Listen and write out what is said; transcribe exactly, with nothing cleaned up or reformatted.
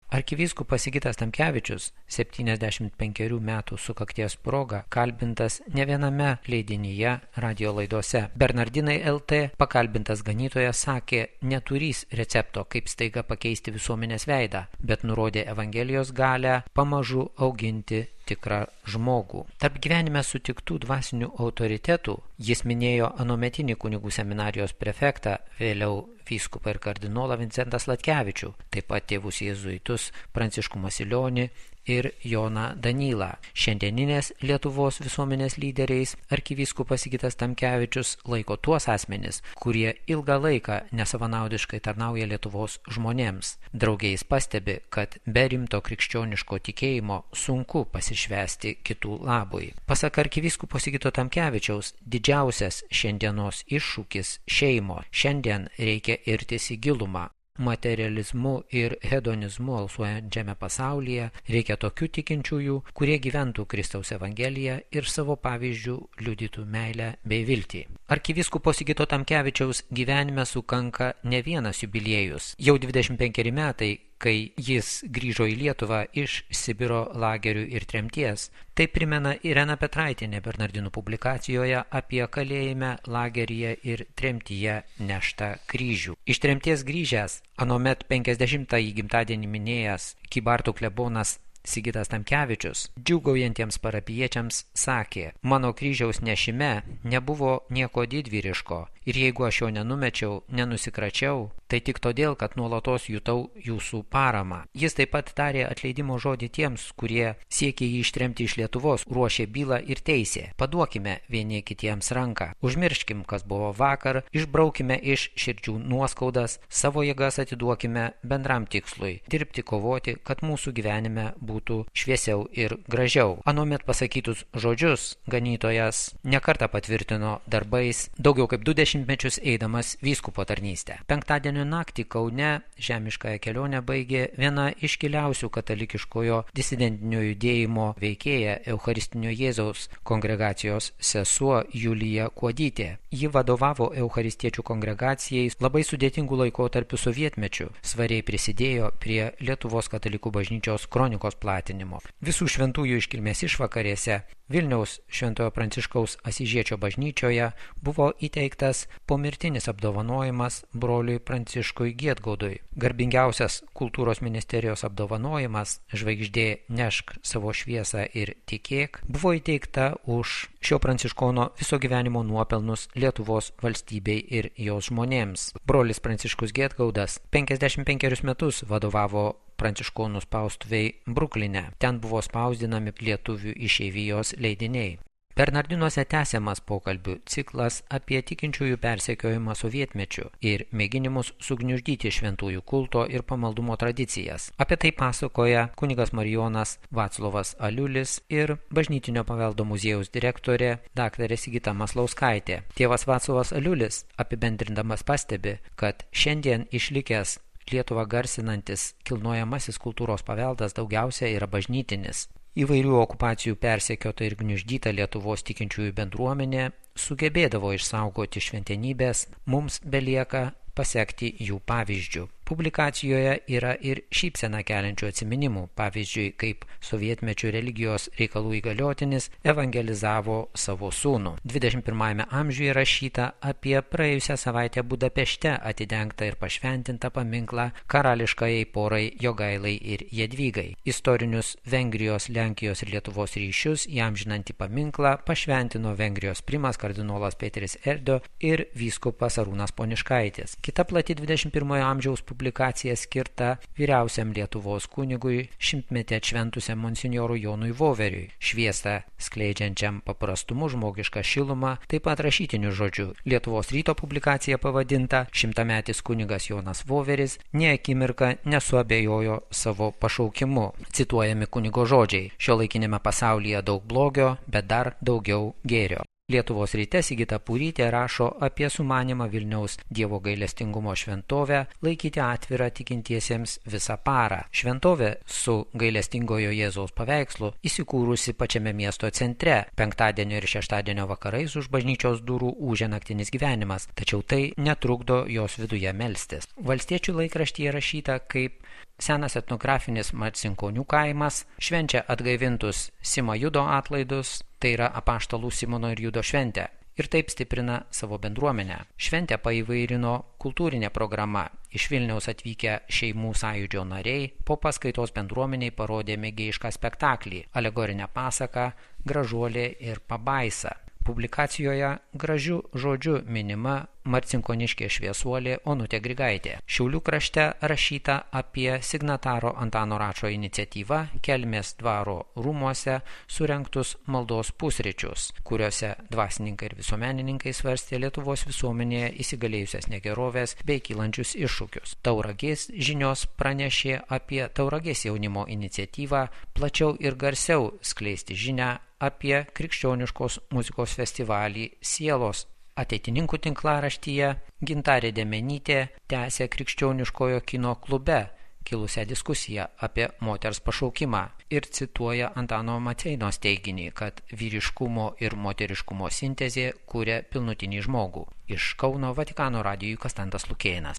Arkivyskupas Sigitas Tamkevičius septyniasdešimt penkerių metų sukakties proga kalbintas ne viename leidinyje radio laidose. Bernardinai L T pakalbintas ganytojas sakė, neturys recepto, kaip staiga pakeisti visuomenės veidą, bet nurodė Evangelijos galią pamažu auginti tikrą žmogų. Tarp gyvenime sutiktų dvasinių autoritetų jis minėjo anuometinį kunigų seminarijos prefektą, vėliau vyskupą ir kardinolą Vincentą Sladkevičių, taip pat tėvus jėzuitus Pranciškų Masilionį ir Joną Danylą. Šiandieninės Lietuvos visuomenės lyderiais arkivyskupas Sigitas Tamkevičius laiko tuos asmenis, kurie ilgą laiką nesavanaudiškai tarnauja Lietuvos žmonėms. Draugiais pastebi, kad be rimto krikščioniško tikėjimo sunku pasišvesti kitų labui. Pasak arkivyskupo Sigito Tamkevičiaus, didžiausias šiandienos iššūkis šeimo. Šiandien reikia irtis į gilumą. Materializmu ir hedonizmu alsuojančiame pasaulyje reikia tokių tikinčiųjų, kurie gyventų Kristaus Evangeliją ir savo pavyzdžių liudytų meilę bei viltį. Arkivyskupo Sigito Tamkevičiaus gyvenime sukanka ne vienas jubiliejus. Jau dvidešimt penkeri metai, kai jis grįžo į Lietuvą iš Sibiro lagerių ir tremties. Tai primena Irena Petraitienė Bernardinų publikacijoje apie kalėjime, lageryje ir tremtyje neštą kryžių. Iš tremties grįžęs, anuomet penkiasdešimtąjį gimtadienį minėjęs Kybartų klebonas Sigitas Tamkevičius džiūgaujantiems parapijiečiams sakė, mano kryžiaus nešime nebuvo nieko didvyriško ir jeigu aš jo nenumečiau, nenusikračiau, tai tik todėl, kad nuolatos jutau jūsų paramą. Jis taip pat tarė atleidimo žodį tiems, kurie siekė jį ištremti iš Lietuvos, ruošė bylą ir teisė. Paduokime vieni kitiems ranką. Užmirškim, kas buvo vakar, išbraukime iš širdžių nuoskaudas, savo jėgas atiduokime bendram tikslui – dirbti, kovoti, kad mūsų gyvenime būtų šviesiau ir gražiau. Anuomet pasakytus žodžius ganytojas nekartą patvirtino darbais, daugiau kaip du dešimtmečius eidamas vyskupo tarnystę. Penktadienio naktį Kaune žemiškąją kelionę baigė viena iškiliausių katalikiškojo disidentinio judėjimo veikėja Eucharistinio Jėzaus kongregacijos sesuo Julija Kuodytė. Ji vadovavo eucharistiečių kongregacijai labai sudėtingų laikotarpių sovietmečių, svariai prisidėjo prie Lietuvos katalikų bažnyčios kronikos platinimo. Visų šventųjų iškilmės išvakarėse Vilniaus Šventojo Pranciškaus Asyžiečio bažnyčioje buvo įteiktas pomirtinis apdovanojimas broliui Pranciškui Giedgaudui. Garbingiausias kultūros ministerijos apdovanojimas Žvaigždė nešk savo šviesą ir tikėk buvo įteikta už šio pranciškono viso gyvenimo nuopelnus Lietuvos valstybei ir jos žmonėms. Brolis Pranciškus Giedgaudas penkiasdešimt penkerius metus vadovavo pranciškonų spaustuviai Brukline. Ten buvo spausdinami lietuvių išeivijos leidiniai. Bernardinuose tęsiamas pokalbių ciklas apie tikinčiųjų persekiojimą sovietmečiu ir mėginimus sugniuždyti šventųjų kulto ir pamaldumo tradicijas. Apie tai pasakoja kunigas Marijonas Vaclovas Aliulis ir Bažnytinio paveldo muziejaus direktorė daktarė Sigita Maslauskaitė. Tėvas Vaclovas Aliulis apibendrindamas pastebi, kad šiandien išlikęs Lietuvą garsinantis kilnojamasis kultūros paveldas daugiausia yra bažnytinis. Įvairių okupacijų persekiota ir gniuždyta Lietuvos tikinčiųjų bendruomenė sugebėdavo išsaugoti šventenybės, mums belieka pasekti jų pavyzdžių. Publikacijoje yra ir šypseną keliančių atsiminimų, pavyzdžiui, kaip sovietmečių religijos reikalų įgaliotinis evangelizavo savo sūnų. dvidešimt pirmajame amžiuje rašyta apie praėjusią savaitę Budapešte atidengtą ir pašventintą paminklą karališkajai porai Jogailai ir Jadvygai. Istorinius Vengrijos, Lenkijos ir Lietuvos ryšius įamžinantį paminklą pašventino Vengrijos primas kardinolas Peteris Erdo ir vyskupas Arūnas Poniškaitis. Kita plati dvidešimt pirmojo amžiaus publikacija skirta vyriausiam Lietuvos kunigui šimtmetį atšventusiam monsinjorui Jonui Voveriui, šviesą skleidžiančiam paprastumu žmogišką šilumą, taip pat rašytiniu žodžiu. Lietuvos ryto publikacija pavadinta Šimtametis kunigas Jonas Voveris nė akimirką nesuabejojo savo pašaukimu. Cituojami kunigo žodžiai: šiuolaikiniame pasaulyje daug blogio, bet dar daugiau gėrio. Lietuvos ryte Sigita Purytė rašo apie sumanymą Vilniaus Dievo gailestingumo šventovę laikyti atvirą tikintiesiems visą parą. Šventovė su gailestingojo Jėzaus paveikslu įsikūrusi pačiame miesto centre. Penktadienio ir šeštadienio vakarais už bažnyčios durų ūžia naktinis gyvenimas, tačiau tai netrukdo jos viduje melstis. Valstiečių laikraštyje rašyta, kaip senas etnografinis Marcinkonių kaimas švenčia atgaivintus Simo Judo atlaidus, tai yra apaštalų Simono ir Judo šventę, ir taip stiprina savo bendruomenę. Šventę paįvairino kultūrinė programa. Iš Vilniaus atvykę šeimų sąjūdžio nariai po paskaitos bendruomeniai parodė mėgėjišką spektaklį, alegorinę pasaką Gražuolė ir pabaisa. Publikacijoje gražiu žodžiu minima marcinkoniškė šviesuolė Onutė Grigaitė. Šiaulių krašte rašyta apie signataro Antano Račo iniciatyvą Kelmės dvaro rūmuose surengtus maldos pusryčius, kuriuose dvasininkai ir visuomenininkai svarstė Lietuvos visuomenėje įsigalėjusias negerovės bei kylančius iššūkius. Tauragės žinios pranešė apie Tauragės jaunimo iniciatyvą plačiau ir garsiau skleisti žinią apie krikščioniškos muzikos festivalį Sielos. Ateitininkų tinklaraštyje Gintarė Demenytė tęsė krikščioniškojo kino klube kilusią diskusiją apie moters pašaukimą ir cituoja Antano Maceinos teiginį, kad vyriškumo ir moteriškumo sintezė kuria pilnutinį žmogų. Iš Kauno Vatikano radijui Konstantas Lukėnas.